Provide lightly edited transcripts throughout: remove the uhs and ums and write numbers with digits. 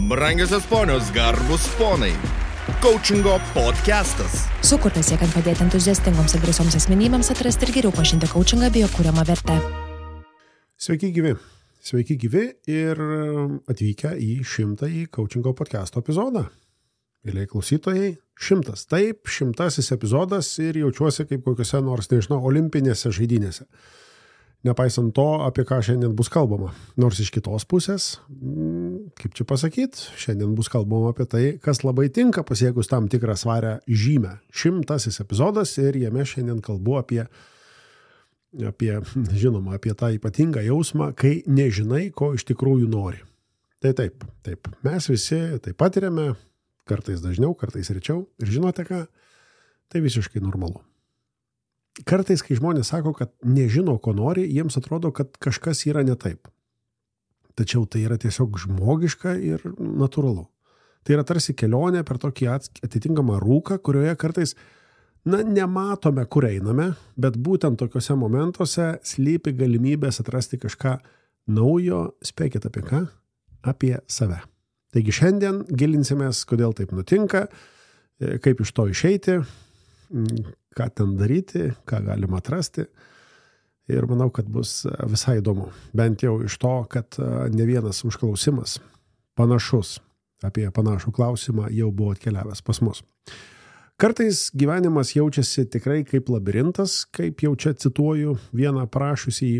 Brangiosios ponios, garbus ponai. Coachingo podcastas. Sukurtas siekiant padėti entuziastingoms ir drąsioms asmenybėms atrasti ir geriau pažinti coachingą bei jo kuriamą vertę. Sveiki gyvi ir atvykę į 100-ąjį coachingo podcasto epizodą. Mėlyje klausytojai, 100. Taip, 100-asis epizodas ir jaučiuosi kaip kokiuose nors, olimpinėse žaidynėse. Nepaisant to, apie ką šiandien bus kalbama. Nors iš kitos pusės, kaip čia pasakyti, šiandien bus kalbama apie tai, kas labai tinka pasiekus tam tikrą svarę žymę. 100-asis epizodas ir jame šiandien kalbu apie tą ypatingą jausmą, kai nežinai, ko iš tikrųjų nori. Tai taip. Mes visi tai patiriame, kartais dažniau, kartais rečiau. Ir žinote ką? Tai visiškai normalu. Kartais, kai žmonės sako, kad nežino, ko nori, jiems atrodo, kad kažkas yra ne taip. Tačiau tai yra tiesiog žmogiška ir natūralu. Tai yra tarsi kelionė per tokį atitinkamą rūką, kurioje kartais, nematome, kur einame, bet būtent tokiuose momentuose slypi galimybės atrasti kažką naujo, spėkit apie ką? Apie save. Taigi šiandien gilinsimės, kodėl taip nutinka, kaip iš to išeiti, ką ten daryti, ką galima atrasti. Ir manau, kad bus visai įdomu. Bent jau iš to, kad ne vienas užklausimas panašus apie panašų klausimą jau buvo atkeliavęs pas mus. Kartais gyvenimas jaučiasi tikrai kaip labirintas, kaip jau čia cituoju vieną prašusį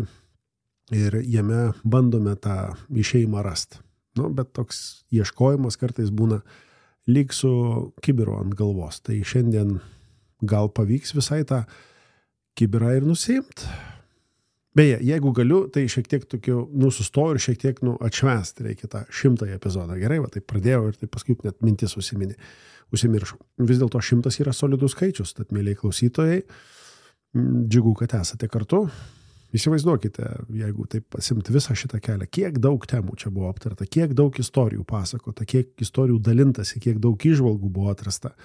ir jame bandome tą išėjimą rasti. Bet toks ieškojimas kartais būna lyg su kibiru ant galvos. Tai šiandien gal pavyks visai tą kibirą ir nusiimt. Beje, jeigu galiu, tai šiek tiek tokiu, sustoju ir šiek tiek atšvęsti reikia tą 100-ąjį epizodą. Gerai, taip pradėjau ir taip paskui net mintis užsimiršau. Vis dėlto 100 yra solidus skaičius, tad mėlyje klausytojai, džiugu, kad esate kartu. Įsivaizduokite, jeigu taip pasimti visą šitą kelią, kiek daug temų čia buvo aptarta, kiek daug istorijų pasakota, kiek istorijų dalintasi, kiek daug įžvalgų buvo atrasta.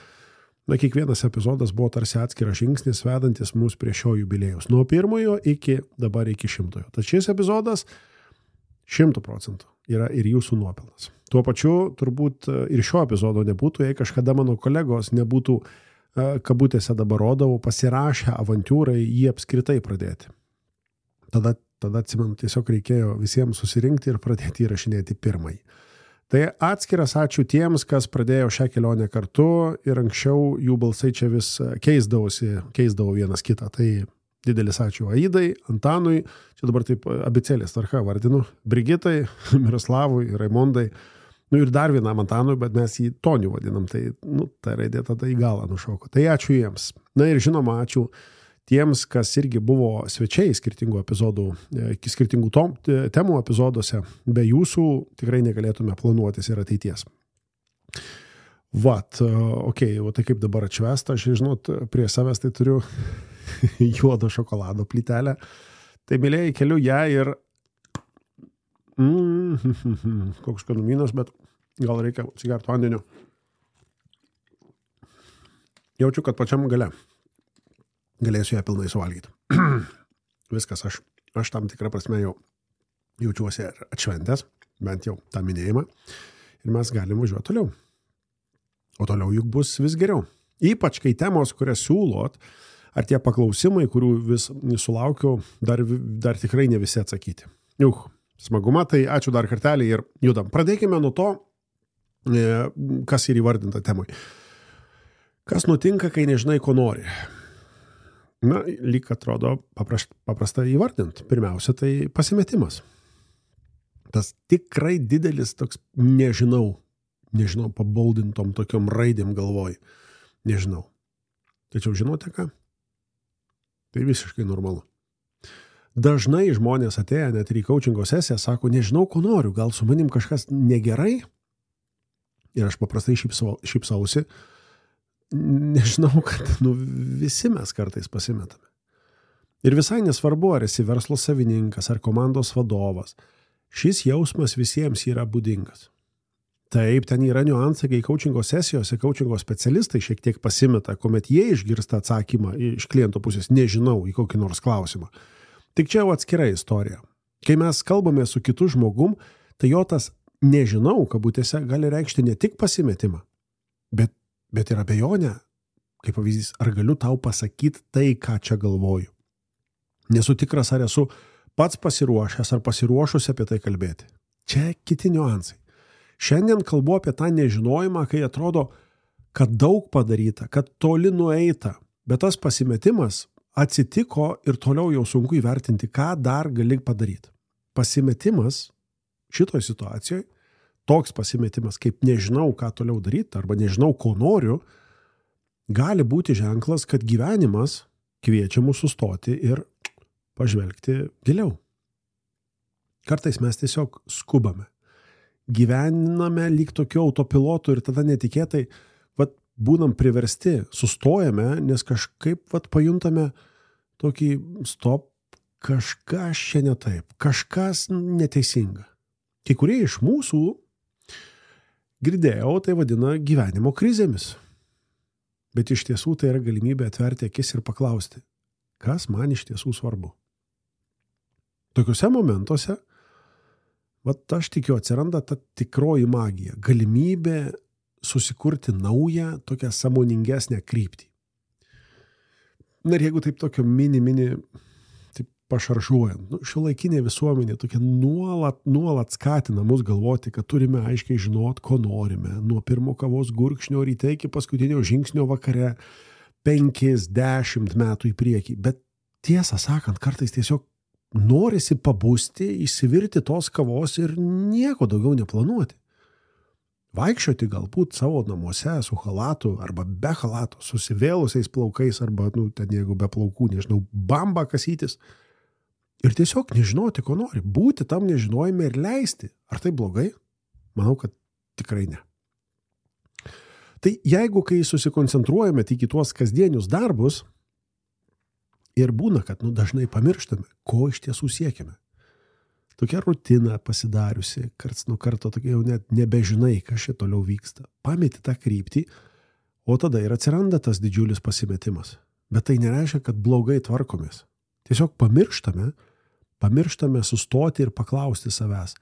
Kiekvienas epizodas buvo tarsi atskiras žingsnis, vedantis mus prie šio jubiliejaus. Nuo 1 iki 100. Tad šis epizodas 100% yra ir jūsų nuopelnas. Tuo pačiu turbūt ir šio epizodo nebūtų, jei kažkada mano kolegos nebūtų, kabutėse dabar rodavo, pasirašę avantiūrai jį apskritai pradėti. Tada atsimenu, tiesiog reikėjo visiems susirinkti ir pradėti įrašinėti 1. Tai atskiras ačiū tiems, kas pradėjo šią kelionę kartu ir anksčiau jų balsai čia vis keisdavo vienas kitą. Tai didelis ačiū Aidai, Antanui, čia dabar taip abėcėlės tvarka vardinu, Brigitai, Miroslavui, Raimondai, ir dar vienam Antanui, bet mes jį Toniu vadinam, tai ta raidė tada į galą nušoko. Tai ačiū jiems. Ir žinoma, ačiū tiems, kas irgi buvo svečiai skirtingų temų epizoduose, be jūsų tikrai negalėtume planuotis ir ateities. Tai kaip dabar atšvęsta, aš žinot, prie savęs tai turiu juodo šokolado plytelę. Tai mėlėjai keliu ją ir koks skanumynas, bet gal reikia atsigerti vandeniu. Jaučiu, kad pačiam gale galėsiu ją pilnai suvalgyti. Viskas, aš tam tikrą prasme jau jaučiuosi atšventęs, bent jau tą minėjimą, ir mes galim važiuoti toliau. O toliau juk bus vis geriau. Ypač, kai temos, kurias siūlot, ar tie paklausimai, kurių vis sulaukiu, dar tikrai ne visi atsakyti. Smaguma, tai ačiū dar kartelį ir judam. Pradėkime nuo to, kas ir įvardinta temui. Kas nutinka, kai nežinai, ko nori? Lyg atrodo paprasta įvardinti. Pirmiausia, tai pasimetimas. Tas tikrai didelis toks nežinau, paboldintom tokiom raidėm galvoj. Nežinau. Tačiau žinote ką? Tai visiškai normalu. Dažnai žmonės atėję net ir į coachingo sesiją sako, nežinau, ko noriu, gal su manim kažkas negerai? Ir aš paprastai šypsausi. Nežinau, kad visi mes kartais pasimetame. Ir visai nesvarbu, ar esi verslo savininkas, ar komandos vadovas. Šis jausmas visiems yra būdingas. Taip, ten yra niuansai, kai coachingo sesijose coachingo specialistai šiek tiek pasimeta, kuomet jie išgirsta atsakymą iš kliento pusės, nežinau, į kokį nors klausimą. Tik čia jau atskira istorija. Kai mes kalbame su kitu žmogum, tai jo tas nežinau, kabutėse, gali reikšti ne tik pasimetimą, bet ir abejonę, kaip pavyzdys, ar galiu tau pasakyti tai, ką čia galvoju. Nesu tikras, ar esu pats pasiruošęs ar pasiruošusi apie tai kalbėti. Čia kiti niuansai. Šiandien kalbu apie tą nežinojimą, kai atrodo, kad daug padaryta, kad toli nueita, bet tas pasimetimas atsitiko ir toliau jau sunku įvertinti, ką dar gali padaryti. Pasimetimas šitoje situacijoje, toks pasimetimas, kaip nežinau, ką toliau daryti, arba nežinau, ko noriu, gali būti ženklas, kad gyvenimas kviečia mus sustoti ir pažvelgti giliau. Kartais mes tiesiog skubame. Gyvename lyg tokiu autopilotu ir tada netikėtai būnam priversti, sustojame, nes kažkaip pajuntame tokį stop, kažkas čia ne taip, kažkas neteisinga. Kai kurie iš mūsų, girdėjau, tai vadina gyvenimo krizėmis. Bet iš tiesų tai yra galimybė atverti akis ir paklausti, kas man iš tiesų svarbu. Tokiuose momentuose, aš tikiu, atsiranda ta tikroji magija, galimybė susikurti naują, tokią sąmoningesnę kryptį. Na ir jeigu taip tokio mini, taip pašaržuojant, šiuolaikinė visuomenė tokia nuolat skatina mus galvoti, kad turime aiškiai žinot, ko norime, nuo pirmo kavos gurkšnio ryte iki paskutinio žingsnio vakare, 5-10 metų į priekį. Bet tiesą sakant, kartais tiesiog norisi pabusti, įsivirti tos kavos ir nieko daugiau neplanuoti. Vaikščioti galbūt savo namuose su chalatu arba be chalato, susivėlusiais plaukais arba, ten jeigu be plaukų, nežinau, bamba kasytis. Ir tiesiog nežinoti, ko nori. Būti tam nežinojime ir leisti. Ar tai blogai? Manau, kad tikrai ne. Tai jeigu kai susikoncentruojame tik į tuos kasdienius darbus ir būna, kad dažnai pamirštame, ko iš tiesų siekime. Tokia rutina pasidariusi, karts nuo karto tokia jau net nebežinai, kas čia toliau vyksta. Pameti tą kryptį, o tada ir atsiranda tas didžiulis pasimetimas. Bet tai nereiškia, kad blogai tvarkomės. Tiesiog pamirštame sustoti ir paklausti savęs.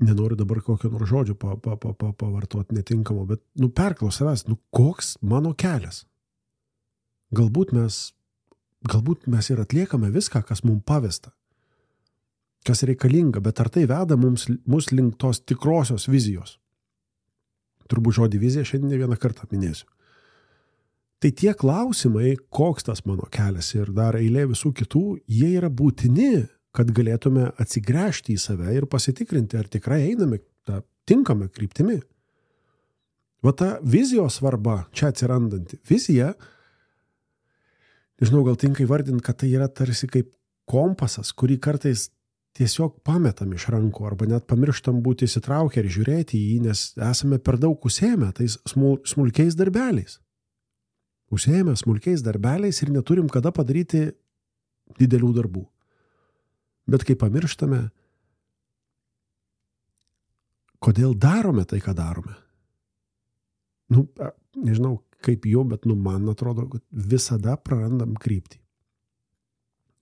Nenoriu dabar kokio nors žodžio pavartoti netinkamo, bet perklaus savęs, koks mano kelias? Galbūt mes ir atliekame viską, kas mums pavesta. Kas reikalinga, bet ar tai veda mus link tos tikrosios vizijos? Turbūt žodį vizija šiandien ne vieną kartą minėsiu. Tai tie klausimai, koks tas mano kelias ir dar eilė visų kitų, jie yra būtini, kad galėtume atsigręžti į save ir pasitikrinti, ar tikrai einame tą tinkamą kryptimi. Ta vizijos svarba, čia atsirandanti vizija, nežinau, gal tinka įvardinti, kad tai yra tarsi kaip kompasas, kurį kartais tiesiog pametam iš rankų arba net pamirštam būti įsitraukę ir žiūrėti į jį, nes esame per daug užsiėmę tais smulkiais darbeliais. Užsiėmę smulkiais darbeliais ir neturim kada padaryti didelių darbų. Bet kai pamirštame, kodėl darome tai, ką darome? Nežinau kaip jau, bet man atrodo, kad visada prarandam kryptį.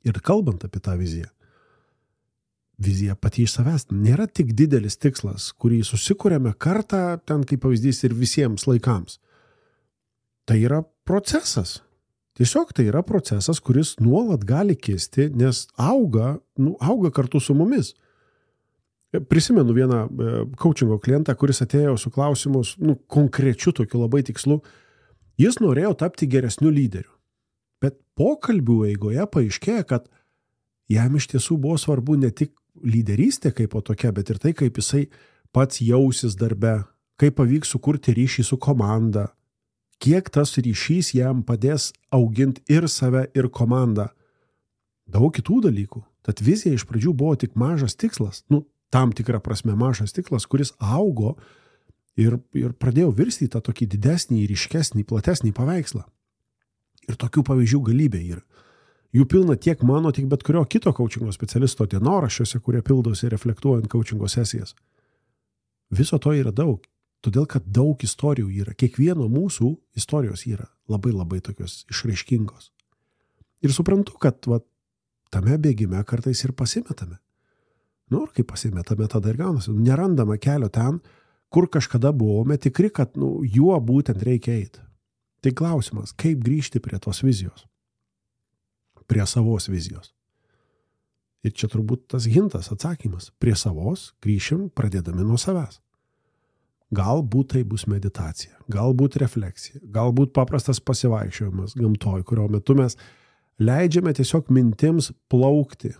Ir kalbant apie tą viziją, vizija pati iš savęs nėra tik didelis tikslas, kurį susikuriame kartą, ten kaip pavyzdys ir visiems laikams. Tai yra procesas. Tiesiog tai yra procesas, kuris nuolat gali kisti, nes auga kartu su mumis. Prisimenu vieną coachingo klientą, kuris atėjo su klausimus, konkrečiu tokiu labai tikslu. Jis norėjo tapti geresniu lyderiu. Bet pokalbių eigoje paaiškėjo, kad jam iš tiesų buvo svarbu ne tik lyderystė kaip po tokia, bet ir tai, kaip jisai pats jausis darbe, kaip pavyks sukurti ryšį su komanda, kiek tas ryšys jam padės auginti ir save, ir komandą. Daug kitų dalykų. Tad vizija iš pradžių buvo tik mažas tikslas, tam tikrą prasme mažas tikslas, kuris augo ir pradėjo virsti tą tokį didesnį, ryškesnį, platesnį paveikslą. Ir tokių pavyzdžių galybė yra. Jų pilna tiek mano, tiek bet kurio kito coachingo specialisto dienoraščiuose, kurie pildosi reflektuojant coachingo sesijas. Viso to yra daug, todėl kad daug istorijų yra. Kiekvieno mūsų istorijos yra labai labai tokios Nu, ir kai pasimetame, tada ir gaunasi. Nerandame kelio ten, kur kažkada buvome tikri, kad juo būtent reikia eiti. Tai klausimas, kaip grįžti prie tos vizijos? Prie savos vizijos. Ir čia turbūt tas hintas, atsakymas. Prie savos grįšim pradėdami nuo savęs. Galbūt tai bus meditacija, galbūt refleksija, galbūt paprastas pasivaikščiojimas gamtoj, kurio metu mes leidžiame tiesiog mintims plaukti,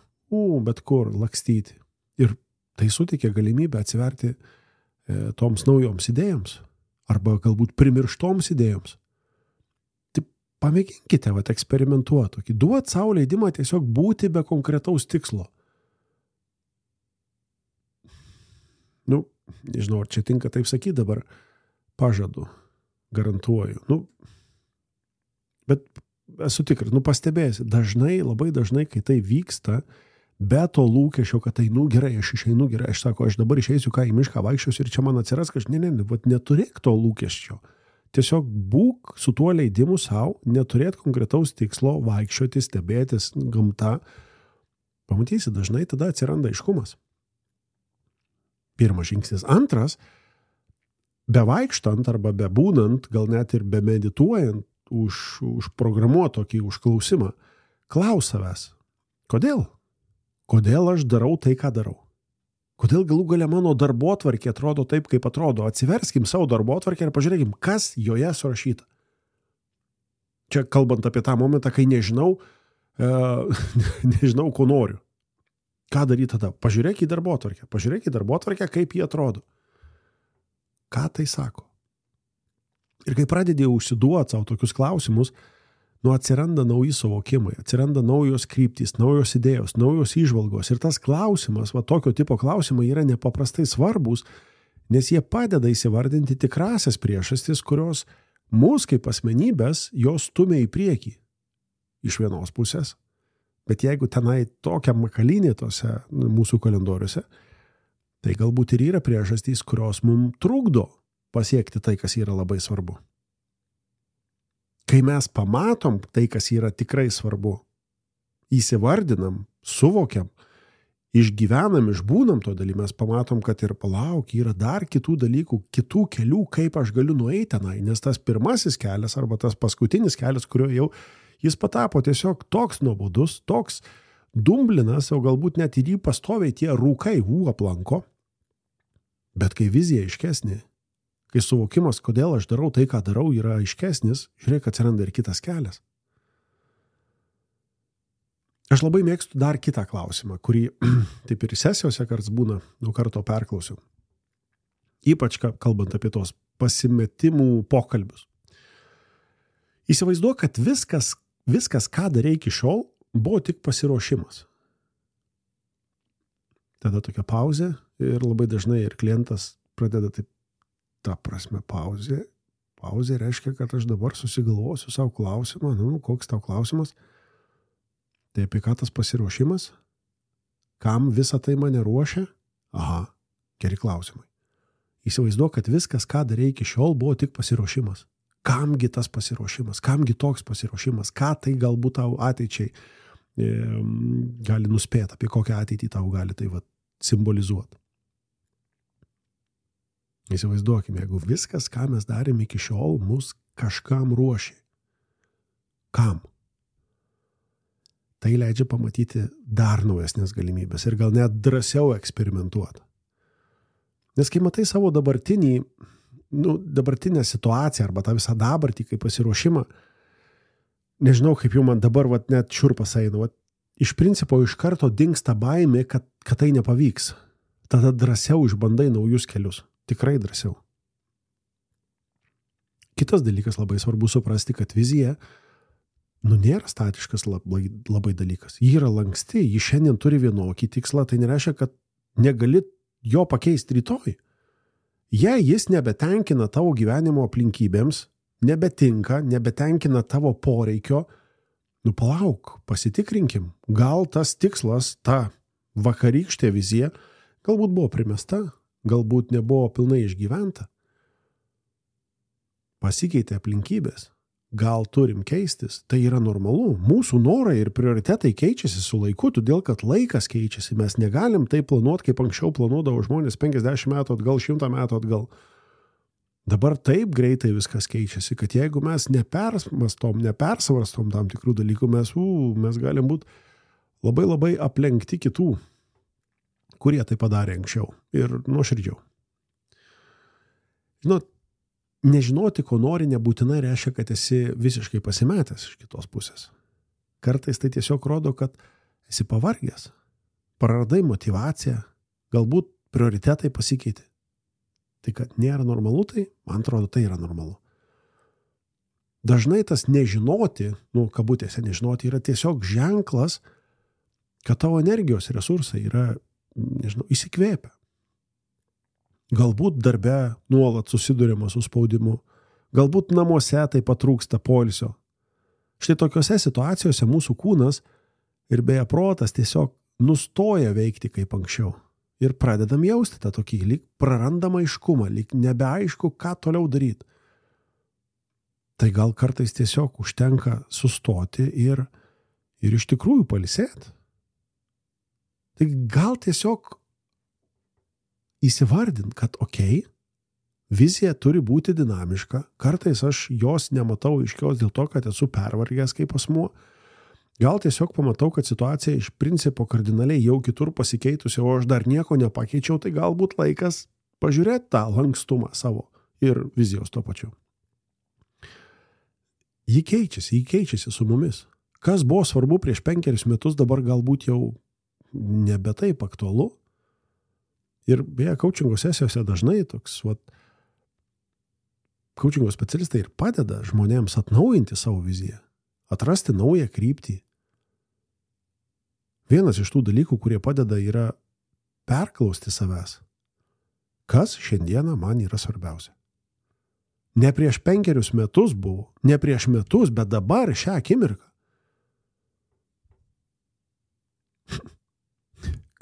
bet kur, lakstyti. Ir tai suteikia galimybę atsiverti toms naujoms idėjoms arba galbūt primirštoms idėjoms. Tai pamėginkite eksperimentuoti, duot sau leidimą tiesiog būti be konkretaus tikslo. Nežinau, ar čia tinka taip sakyti dabar, pažadu, garantuoju. Bet esu tikras, pastebėsi, labai dažnai, kai tai vyksta, be to lūkesčio, kad tai, gerai, aš išeinu, gerai, aš sako, aš dabar išeisiu, į mišką vaikščiosiu ir čia man atsiras kažkas, neturėk to lūkesčio. Tiesiog būk su tuo leidimu savo, neturėt konkretaus tikslo, vaikščioti, stebėtis gamta. Pamatysi, dažnai tada atsiranda aiškumas. Pirmas žingsnis. Antras, bevaikštant arba bebūnant, gal net ir bemedituojant, užprogramuot tokį užklausimą, klaus savęs, kodėl? Kodėl aš darau tai, ką darau? Kodėl galų gale mano darbotvarkė atrodo taip, kaip atrodo? Atsiverskim savo darbotvarkę ir pažiūrėkim, kas joje surašyta. Čia kalbant apie tą momentą, kai nežinau, ko noriu. Ką daryti tada? Pažiūrėk į darbotvarkę, kaip jie atrodo. Ką tai sako? Ir kai pradedi užsiduoti savo tokius klausimus, atsiranda nauji suvokimai, atsiranda naujos kryptys, naujos idėjos, naujos įžvalgos. Ir tas klausimas, tokio tipo klausimai yra nepaprastai svarbus, nes jie padeda įsivardinti tikrasias priežastis, kurios mus kaip asmenybės jos stumia į priekį. Iš vienos pusės. Bet jeigu tenai tokia makalynė tose mūsų kalendoriuose, tai galbūt ir yra priežastys, kurios mums trukdo pasiekti tai, kas yra labai svarbu. Kai mes pamatom tai, kas yra tikrai svarbu, įsivardinam, suvokiam, išgyvenam, išbūnam to dalį, mes pamatom, kad ir yra dar kitų dalykų, kitų kelių, kaip aš galiu nueiti tenai, nes tas pirmasis kelias arba tas paskutinis kelias, kurio jau jis patapo tiesiog toks nuobodus, toks dumblinas, o galbūt net ir jį pastoviai tie rūkai aplanko. Bet kai vizija aiškesnė, kai suvokimas, kodėl aš darau tai, ką darau, yra aiškesnis, žiūrėk, atsiranda ir kitas kelias. Aš labai mėgstu dar kitą klausimą, kurį taip ir sesijose karts būna, karto perklausiu. Ypač kalbant apie tos pasimetimų pokalbius. Įsivaizduok, kad viskas, ką darei iki šiol, buvo tik pasiruošimas. Tada tokia pauzė ir labai dažnai ir klientas pradeda taip, ta prasme, pauzė. Pauzė reiškia, kad aš dabar susigalvosiu savo klausimą. Koks tau klausimas? Tai apie ką tas pasiruošimas? Kam visą tai mane ruošia? Aha, geri klausimai. Įsivaizduok, kad viskas, ką darei iki šiol, buvo tik pasiruošimas. Kamgi tas pasiruošimas, kamgi toks pasiruošimas, ką tai galbūt tau ateičiai gali nuspėti, apie kokią ateitį tau gali tai simbolizuoti. Įsivaizduokime, jeigu viskas, ką mes darėme iki šiol, mus kažkam ruošė. Kam? Tai leidžia pamatyti dar naujesnės galimybės ir gal net drąsiau eksperimentuoti. Nes kai matai savo dabartinę situaciją arba tą visą dabartį kaip pasiruošimą, nežinau, kaip jau man dabar net šiurpas eina, iš principo iš karto dingsta baimė, kad tai nepavyks. Tada drąsiau išbandai naujus kelius. Tikrai drąsiau. Kitas dalykas labai svarbu suprasti, kad vizija nėra statiškas labai dalykas. Ji yra lanksti, ji šiandien turi vienokį tikslą, tai nereiškia, kad negali jo pakeisti rytoj. Jei jis nebetenkina tavo gyvenimo aplinkybėms, nebetenkina tavo poreikio, palauk, pasitikrinkim, gal tas tikslas, ta vakarykštė vizija, galbūt buvo primesta, galbūt nebuvo pilnai išgyventa. Pasikeitė aplinkybės, gal turim keistis, tai yra normalu. Mūsų norai ir prioritetai keičiasi su laiku, todėl kad laikas keičiasi. Mes negalim taip planuoti, kaip anksčiau planuodavo žmonės 50 metų atgal, 100 metų atgal. Dabar taip greitai viskas keičiasi, kad jeigu mes nepersvarstom tam tikrų dalykų, mes galim būti labai labai aplenkti kitų, kurie tai padarė anksčiau ir nuoširdžiau. Žinot, nežinoti, ko nori, nebūtinai reiškia, kad esi visiškai pasimetęs iš kitos pusės. Kartais tai tiesiog rodo, kad esi pavargęs, praradai motyvaciją, galbūt prioritetai pasikeitė. Tai, kad nėra normalu, tai, man atrodo, tai yra normalu. Dažnai tas nežinoti, kabutėse nežinoti, yra tiesiog ženklas, kad tavo energijos resursai yra, įsikvėpę. Galbūt darbe nuolat susiduriama su spaudimu, galbūt namuose taip pat trūksta poilsio. Štai tokiose situacijose mūsų kūnas ir beje protas tiesiog nustoja veikti kaip anksčiau. Ir pradedam jausti tą tokį lyg prarandamą aiškumą, lyg nebeaišku, ką toliau daryti. Tai gal kartais tiesiog užtenka sustoti ir iš tikrųjų pailsėti. Tai gal tiesiog įsivardint, kad vizija turi būti dinamiška. Kartais aš jos nematau aiškios dėl to, kad esu pervargęs kaip asmuo. Gal tiesiog pamatau, kad situacija iš principo kardinaliai jau kitur pasikeitusi, o aš dar nieko nepakeičiau, tai galbūt laikas pažiūrėti tą lankstumą savo ir vizijos tuo pačiu. Ji keičiasi su mumis. Kas buvo svarbu prieš 5 metus, dabar galbūt jau nebe taip aktualu. Ir beje, coachingo sesijose dažnai coachingo specialistai ir padeda žmonėms atnaujinti savo viziją, atrasti naują kryptį. Vienas iš tų dalykų, kurie padeda, yra perklausti savęs. Kas šiandieną man yra svarbiausia? Ne prieš 5 metus buvo, ne prieš metus, bet dabar šią akimirką.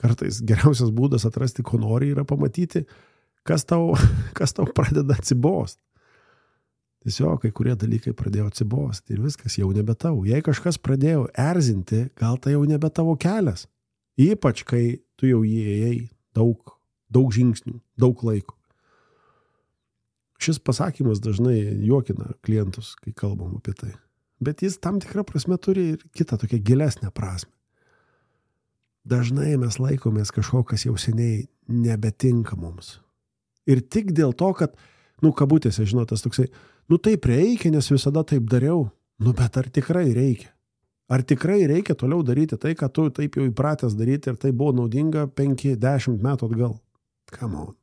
Kartais geriausias būdas atrasti, ko nori, yra pamatyti, kas tau pradeda atsibost. Tiesiog kai kurie dalykai pradėjo atsibosti ir viskas jau nebe tavo. Jei kažkas pradėjo erzinti, gal tai jau nebe tavo kelias. Ypač, kai tu jau įėjai daug žingsnių, daug laiko. Šis pasakymas dažnai juokina klientus, kai kalbam apie tai. Bet jis tam tikrą prasme turi ir kitą tokią gilesnę prasme. Dažnai mes laikomės kažko, kas jau seniai nebetinka mums. Ir tik dėl to, kad, kabutėse, tas toksai, taip reikia, nes visada taip dariau. Bet ar tikrai reikia? Ar tikrai reikia toliau daryti tai, ką tu taip jau įpratęs daryti ir tai buvo naudinga 5-10 metų atgal? Come on.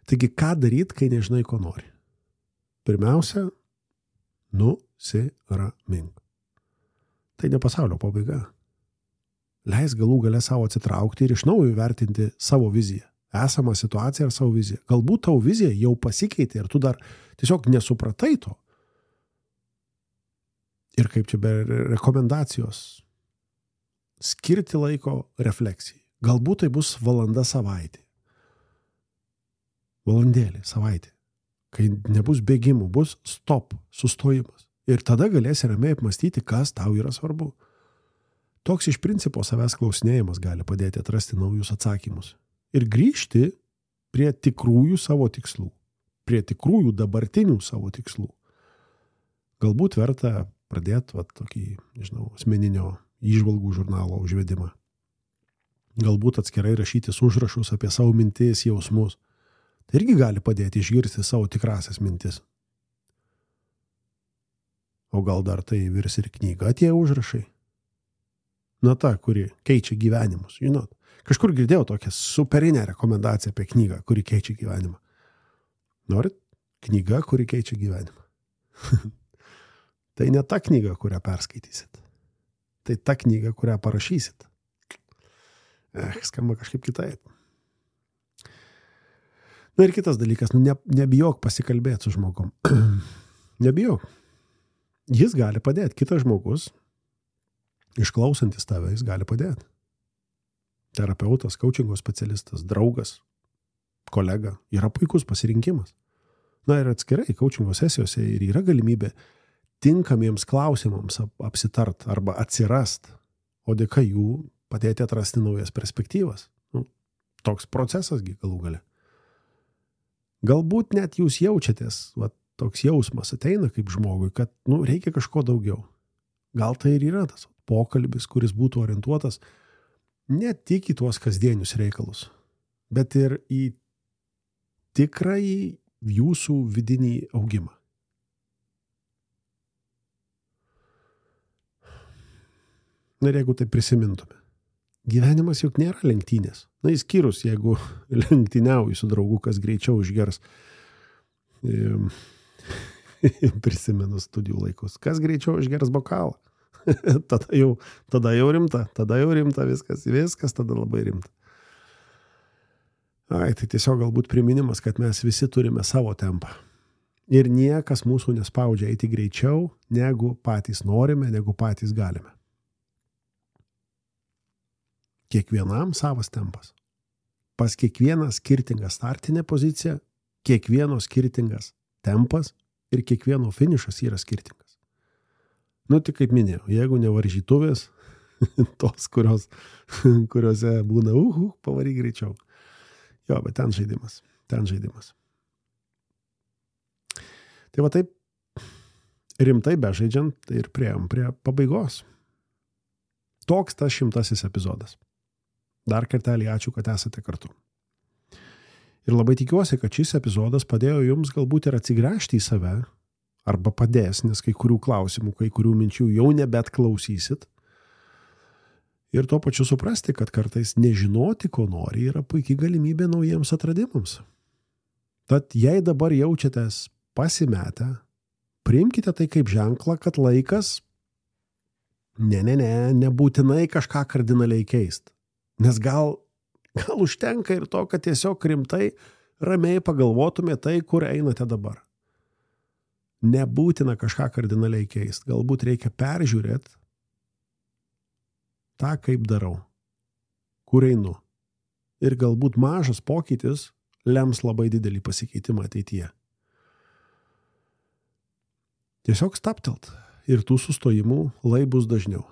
Taigi, ką daryti, kai nežinai, ko nori? Pirmiausia, nusiramink. Tai ne pasaulio pabaiga. Leis galų gale savo atsitraukti ir iš naujo įvertinti savo viziją. Esamą situaciją ir savo viziją. Galbūt tavo vizija jau pasikeitė ir tu dar tiesiog nesupratai to. Ir kaip čia be rekomendacijos skirti laiko refleksijai. Galbūt tai bus valanda savaitė. Valandėlė savaitė. Kai nebus bėgimų, bus stop, sustojimas. Ir tada galėsi ramiai apmastyti, kas tau yra svarbu. Toks iš principo savęs klausinėjimas gali padėti atrasti naujus atsakymus. Ir grįžti prie tikrųjų savo tikslų, prie tikrųjų dabartinių savo tikslų. Galbūt verta pradėti tokį, asmeninio įžvalgų žurnalo užvedimą. Galbūt atskirai rašytis užrašus apie savo mintis, jausmus. Tai irgi gali padėti išgirsti savo tikrasias mintis. O gal dar tai virs ir knyga tie užrašai? Ta, kuri keičia gyvenimus, Kažkur girdėjau tokią superinę rekomendaciją apie knygą, kuri keičia gyvenimą. Norit? Knyga, kuri keičia gyvenimą. Tai ne ta knyga, kurią perskaitysit. Tai ta knyga, kurią parašysit. Skamba kažkaip kitaip. Ir kitas dalykas, nebijok pasikalbėti su žmogum. Nebijok. Jis gali padėti. Kitas žmogus, išklausantis tave, jis gali padėti. Terapeutas, coachingo specialistas, draugas, kolega yra puikus pasirinkimas. Na ir atskirai, coachingo sesijose ir yra galimybė tinkamiems klausimams apsitart arba atsirast, o dėka jų padėti atrasti naujas perspektyvas. Toks procesasgi galų gale. Galbūt net jūs jaučiatės, toks jausmas ateina kaip žmogui, kad reikia kažko daugiau. Gal tai ir yra tas pokalbis, kuris būtų orientuotas ne tik į tuos kasdienius reikalus, bet ir į tikrąjį jūsų vidinį augimą. Ir jeigu tai prisimintume, gyvenimas juk nėra lenktynės. Išskyrus, jeigu lenktyniauji su draugu, kas greičiau išgers. Prisimenu studijų laikus. Kas greičiau išgers bokalą? tada jau rimta viskas tada labai rimta. Tai tiesiog galbūt priminimas, kad mes visi turime savo tempą. Ir niekas mūsų nespaudžia eiti greičiau, negu patys norime, negu patys galime. Kiekvienam savas tempas. Pas kiekvieną skirtingą startinę poziciją, kiekvieno skirtingas tempas ir kiekvieno finišas yra skirtingas. Tik kaip minėjau, jeigu ne varžytuvės, tos, kuriuose būna pavaryk greičiau. Jo, bet ten žaidimas. Tai taip rimtai bežaidžiant, tai ir priėjom prie pabaigos. Toks tas 100 epizodas. Dar kartelį ačiū, kad esate kartu. Ir labai tikiuosi, kad šis epizodas padėjo jums galbūt ir atsigręžti į save, arba padės, nes kai kurių klausimų, kai kurių minčių jau nebet klausysit. Ir tuo pačiu suprasti, kad kartais nežinoti, ko nori, yra puikiai galimybė naujiems atradimams. Tad jei dabar jaučiatės pasimetę, priimkite tai kaip ženklą, kad laikas nebūtinai kažką kardinaliai keist. Nes gal užtenka ir to, kad tiesiog rimtai, ramiai pagalvotume tai, kur einate dabar. Nebūtina kažką kardinaliai keist. Galbūt reikia peržiūrėti tą, kaip darau, kur einu. Ir galbūt mažas pokytis lems labai didelį pasikeitimą ateityje. Tiesiog staptelt ir tų sustojimų lai bus dažniau.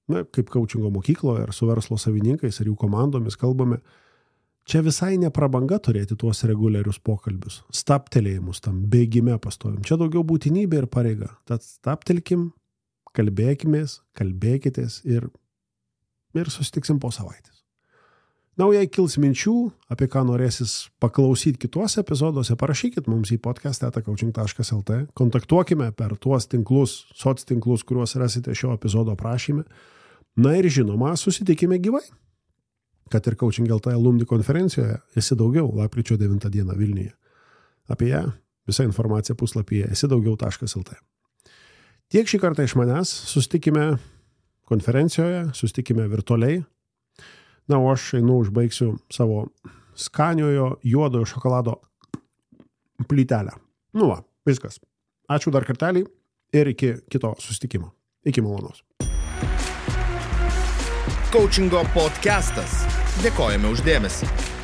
Kaip coachingo mokykloje ar su verslo savininkais ar jų komandomis kalbame, čia visai ne prabanga turėti tuos reguliarius pokalbius, staptelėjimus tam bėgime pastovim. Čia daugiau būtinybė ir pareiga. Tad staptelkim, kalbėkitės ir susitiksim po savaitės. Jei kils minčių, apie ką norėsis paklausyti kituose epizoduose, parašykit mums į podcast@coaching.lt, kontaktuokime per tuos tinklus, soc tinklus, kuriuos rasite šio epizodo aprašyme. Ir žinoma, susitikime gyvai. Kad ir Coaching LT alumni konferencijoje esi daugiau lapkričio 9 dieną Vilniuje. Apie ją visa informacija puslapyje esidaugiau.lt. Tiek šį kartą iš manęs, susitikime konferencijoje, susitikime virtualiai. O aš užbaigsiu savo skaniojo juodojo šokolado plytelę. Viskas. Ačiū dar kartelį ir iki kito susitikimo. Iki malonaus. Coachingo podcastas. Dėkojame už dėmesį.